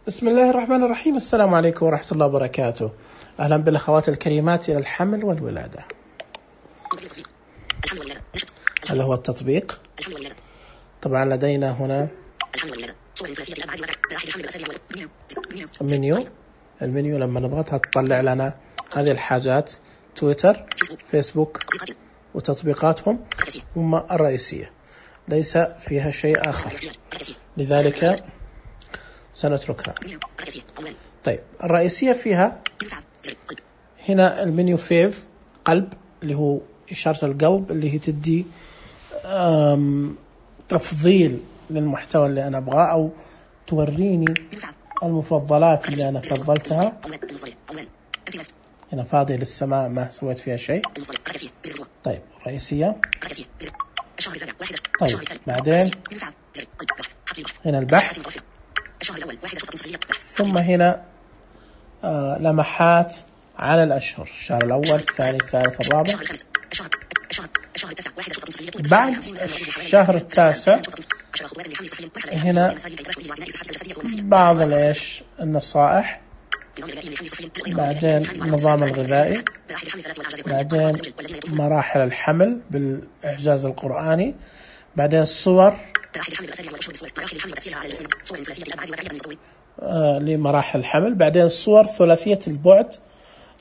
بسم الله الرحمن الرحيم. السلام عليكم ورحمة الله وبركاته. أهلا بالأخوات الكريمات إلى الحمل والولادة. هذا هو التطبيق. طبعا لدينا هنا المنيو لما نضغطها تطلع لنا هذه الحاجات: تويتر، فيسبوك وتطبيقاتهم هم الرئيسية، ليس فيها شيء آخر، لذلك سنتركها. طيب الرئيسية فيها هنا المنيو فيف، قلب اللي هو إشارة القلب اللي هي تدي تفضيل للمحتوى اللي أنا أبغاه أو توريني المفضلات اللي أنا فضلتها. هنا فاضي للسماء ما سويت فيها شيء. طيب رئيسية. طيب بعدين هنا البحث، ثم هنا لمحات على الأشهر: الشهر الأول، الثاني، الثالث، الرابع. بعد الشهر التاسع هنا بعض النصائح، بعدين النظام الغذائي، بعدين مراحل الحمل بالإعجاز القرآني، بعدين الصور لمراحل الحمل، بعدين الصور ثلاثية البعد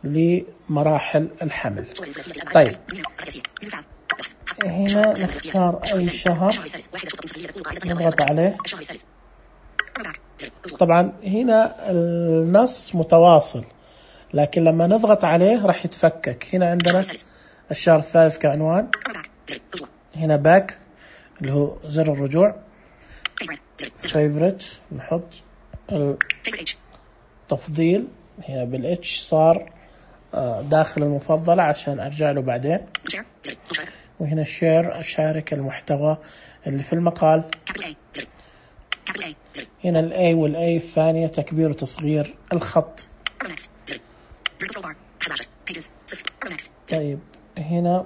لمراحل الحمل. طيب هنا نختار أي شهر نضغط عليه. طبعا هنا النص متواصل، لكن لما نضغط عليه راح يتفكك. هنا عندنا الشهر الثالث كعنوان، هنا باك اللي هو زر الرجوع، favorite نحط التفضيل هنا بالاتش صار داخل المفضلة عشان أرجع له بعدين. وهنا شير، أشارك المحتوى اللي في المقال. هنا الأي والأي الثانية تكبير وتصغير الخط. طيب هنا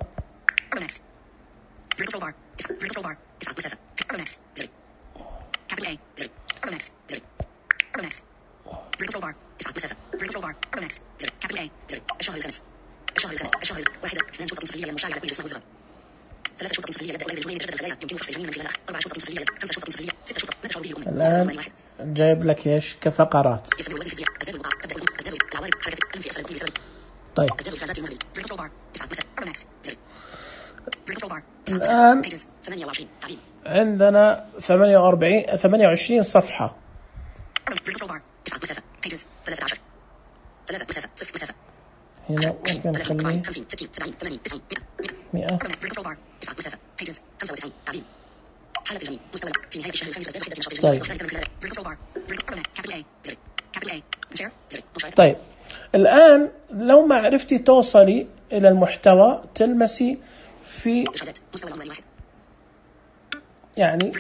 الآن جايب لك إيش كفقرات. طيب الآن عندنا 28 صفحة. هنا ممكن نخليه 100. طيب الآن لو ما عرفتي توصلي إلى المحتوى تلمسي في يعني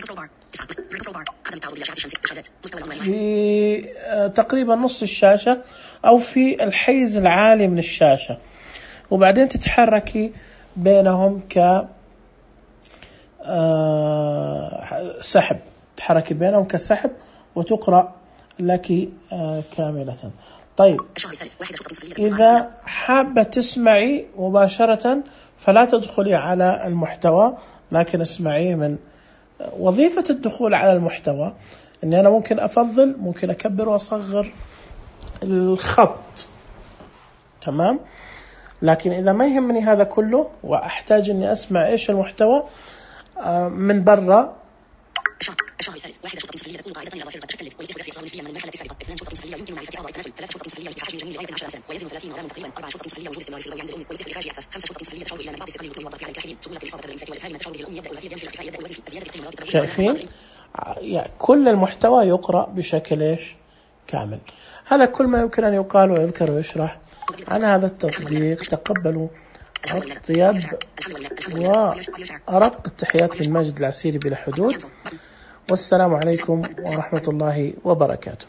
في تقريبا نص الشاشة أو في الحيز العالي من الشاشة، وبعدين تتحركي بينهم سحب، تحركي بينهم كسحب وتقرأ لك كاملة. طيب إذا حابة تسمعي مباشرة فلا تدخلي على المحتوى، لكن اسمعيه من وظيفة الدخول على المحتوى أني أنا ممكن أفضل، ممكن أكبر وأصغر الخط، تمام. لكن إذا ما يهمني هذا كله وأحتاج أني أسمع إيش المحتوى من برا، الشهر الثالث 1 شرطة صحية تكون قاعدة إضافية قد تكلف ويصبح الرأسي نسبيا من المرحلة التي سبقت. 2 شرطة صحية يمكن معرفة أعضاء التناسل، 3 شرطة صحية يصبح حجم الجنين لغاية 10 سنة ويزن 30 غراما تقريبا، 4 شرطة صحية وجود استمرار في البول عند الأم ويصبح الإخراج أكثر، 5 شرطة صحية تشعر إلى من بعض الثقل الوضعي على الكاحلين، سهولة الإصابة بالإمساك والإسهال من تشعر به الأم، يبدأ الوثير يمشي الاختفاء، يبدأ الوزن فيه، زيادة قيمة الرابط. شايفين يعني كل المحتوى يقرأ بشكل كامل. هذا كل ما يمكن أن يقال ويذكر ويشرح عن هذا التطبيق. تقبلوا الطيب وأرق التحيات من ماجد العسيري بلا حدود، والسلام عليكم ورحمة الله وبركاته.